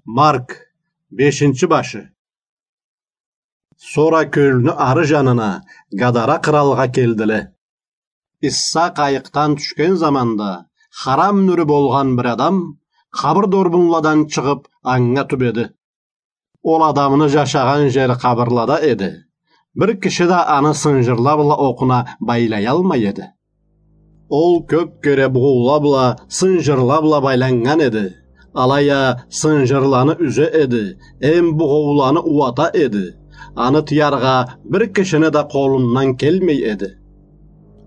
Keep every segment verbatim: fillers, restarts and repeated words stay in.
Марк, бешинчи башы. Сора кёлню ары жанына, Гадара къыралгъа келдиле. Исса къайыкъдан тюшген заманда, харам нюрю болгъан бир адам къабыр дорбунладан чыгъып, анга тюбеди. Ол адамны жашагъан жери къабырлада эди. Бир киши да аны сынжырла бла окъуна байлаялмай эди. Ол кёп кере бугъоула бла, сынжырла бла байланнган эди. Алай а сынжырланы юзе эди, эм бугъоуланы ууата эди. Аны тыяргъа бир кишини да къолундан келмей эди.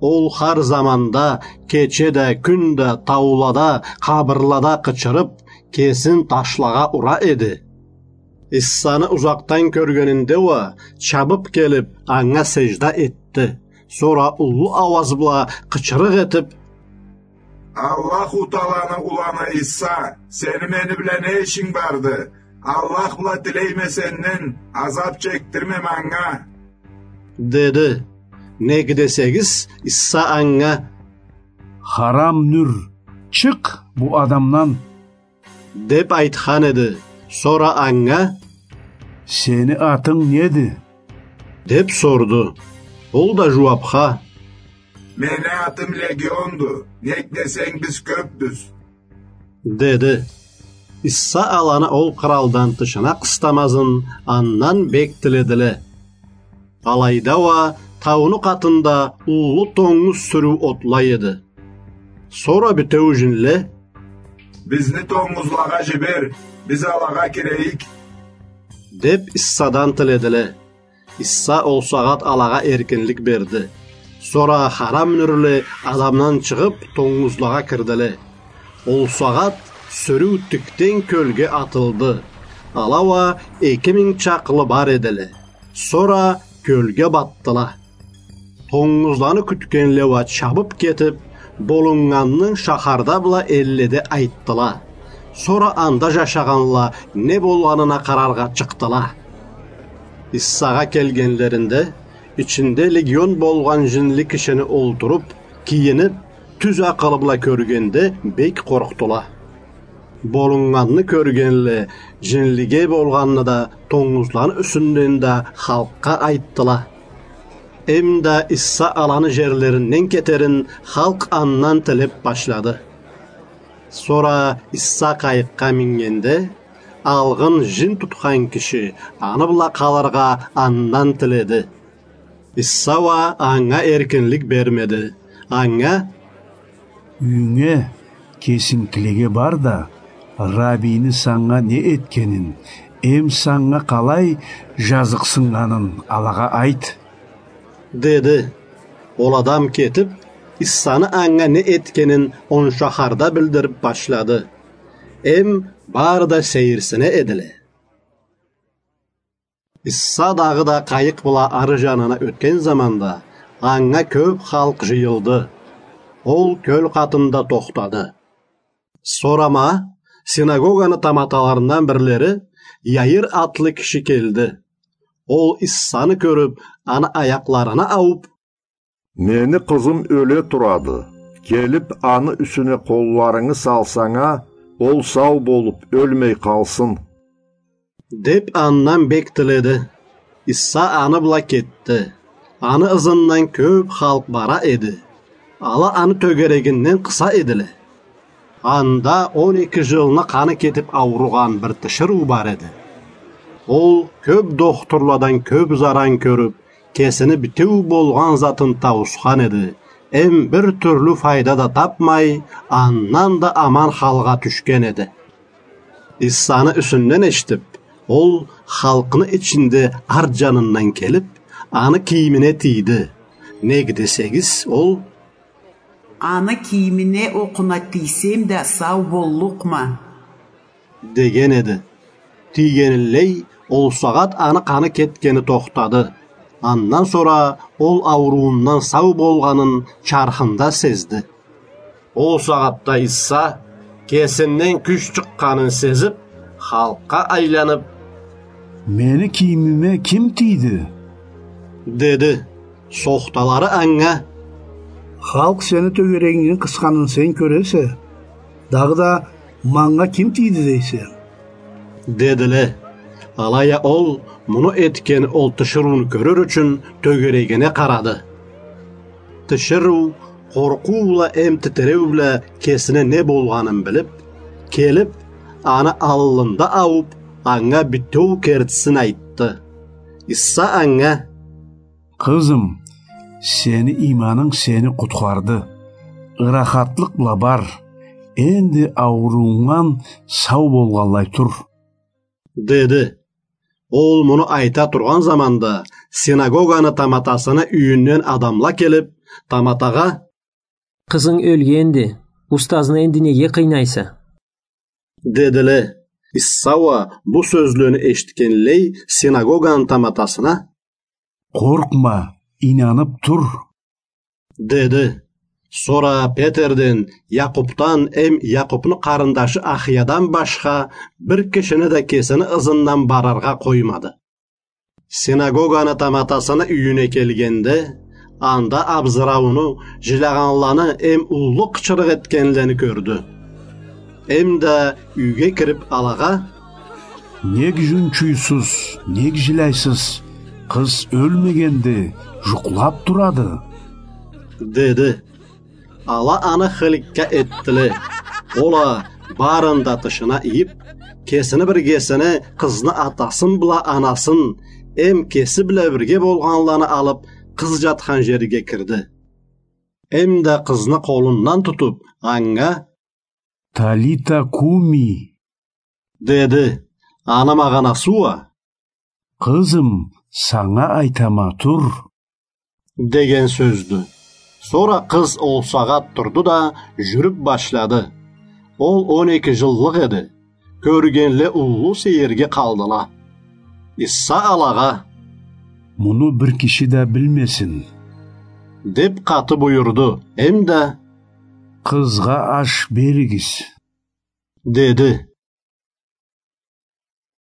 Ол хар заманда, кече да, кюн да, таулада, къабырлада къычырып, кесин ташлагъа ура эди. Иссаны узакъдан кёргенинде уа, чабып келип, анга сежда этди. Сора уллу ауаз бла къычырыкъ этип: «Аллаху Тааланы уланы Исса, сени мени бла не ишинг барды? Аллах бла тилейме сенден, азап чекдирме манга», — деди. Нек десегиз, Исса анга: «Харам нюр, чыкъ бу адамдан», — деп айтхан эди. Сора анга: «Сени атынг неди?» — деп сорду. Ол да жууапха: «Мени атым Легионду, нек десенг, биз кёпбюз», — деди. Исса аланы ол къыралдан тышына къыстамазын андан бек тиледиле. Алайда уа тауну къатында уллу тонгуз сюрюу отлай эди. Сора бютеу жинле: «Бизни тонгузлагъа жибер, биз алагъа кирейик», — деп Иссадан тиледиле. Исса ол сагъат алагъа эркинлик берди. Сора харам нюрле адамдан чыгъып, тонгузлагъа кирдиле. Ол сагъат сюрюу тикден кёлге атылды. Ала уа эки минг чакълы бар эдиле. Сора кёлге батдыла. Тонгузланы кютгенле уа чабып кетип, Болуннганны шахарда бла элледе айтдыла. Сора анда жашагъанла не болгъанына къараргъа чыкъдыла. Иссагъа келгенлеринде, ичинде легион болгъан жинли кишини олтуруп, кийинип, тюз акъылы бла кёргенде, бек къоркъдула. Болуннганны кёргенле, жинлиге болгъанны да, тонгузланы юсюнден да халкъгъа айтдыла. Эм да Исса аланы жерлеринден кетерин халкъ андан тилеп башлады. Сора Исса къайыкъгъа мингенде, алгъын жин тутхан киши аны бла къалыргъа андан тиледи. Исса уа анга эркинлик бермеди. Анга: «Юйюнге, кесингкилеге бар да, Раббийни санга не этгенин, эм санга къалай жазыкъсыннганын алагъа айт», — деди. Ол адам кетип, Иссаны анга не этгенин он шахарда билдирип башлады. Эм бары да сейирсине эдиле. Исса дагъыда къайыкъ бла ары жанына ётген заманда, анга кёп халкъ жыйылды. Ол кёл къатында тохтады. Сора ма, синагоганы таматаларындан бирлери, Яир атлы киши келди. Ол Иссаны кёрюп, аны аякъларына ауп: «Мени къызым ёле турады. Келип, аны юсюне къолларынгы салсанг а, ол сау болуп, ёлмей къалсын», — деп, андан бек тиледи. Исса аны бла кетди. Аны ызындан кёп халкъ бара эди. Ала аны тёгерегинден къыса эдиле. Анда он эки жылны къаны кетип ауругъан бир тиширыу бар эди. Ол кёп дохтурладан кёп заран кёрюп, кесини битеу болгъан затын тауусхан эди, эм бир тюрлю файда да тапмай, андан да аман халгъа тюшген эди. Иссаны юсюнден эшитип, ол халкъны ичинде арт жанындан келип, аны кийимине тийди. Нек десегиз, ол: «Аны кийимине окъуна тийсем да, сау боллукъма», — деген эди. Тийгенинлей, ол сагъат аны къаны кетгени тохтады. Андан сора ол ауруундан сау болгъанын чархында сезди. Ол сагъатда Исса, кесинден кюч чыкъгъанын сезип, халкъгъа айланып: «Мени кийимиме ким тийди?» — деди. Сохталары анга: «Халкъ сени тёгерегингден къысханын сен кёресе, дагъыда манга ким тийди дейсе?» — дедиле. Алай а ол муну этген ол тиширыуну кёрюр ючюн тёгерегине къарады. Тиширыу къоркъуу бла эм титиреу бла кесине не болгъанын билип, келип, аны аллында аууб, анга бютеу кертисин айтды. Иса анга: — Къызым, сени ийманынг сени къутхарды. Ырахатлыкъ бла бар, энди ауруунгдан сау болгъанлай тур, — деди. Ол муну айта тургъан заманда синагоганы таматасыны юйюнден адамла келип, таматагъа: — Къызынг ёлгенди, устазны энди неге къыйнайса? — дедиле. Иса уа бу сёзлени эшитгенлей синагоганы таматасына: — Къоркъма, ийнанып тур, — деди. Сора Петерден, Якъупдан эм Якъупну къарындашы Ахиядан башха бир кишини да кесини ызындан барыргъа къоймады. Синагоганы таматасыны юйюне келгенде, анда абзырауну, жилягъанланы эм уллу къычырыкъ этгенлени кёрдю. Эм да юйге кирип алагъа: — Нек жунчуйсуз, нек жиляйсыз? Къыз ёлмегенди, жукълап турады, — деди. Ала аны хыликка этдиле. Ол а барын да тышына ийип, кесини биргесине къызны атасын бла анасын эм кеси бла бирге болгъанланы алып, къыз жатхан жерге кирди. Эм да къызны къолундан тутуп, анга: — Талита куми, — деди. Аны магъанасы уа: — Къызым, санга айтама, тур, — деген сёздю. Сора къыз ол сагъат турду да, жюрюп башлады. Ол он эки жыллыкъ эди. Кёргенле уллу сейирге къалдыла. Иса алагъа: — Муну бир киши да билмесин, — деп къаты буюрду. Эм да: — Къызгъа аш беригиз, — деди.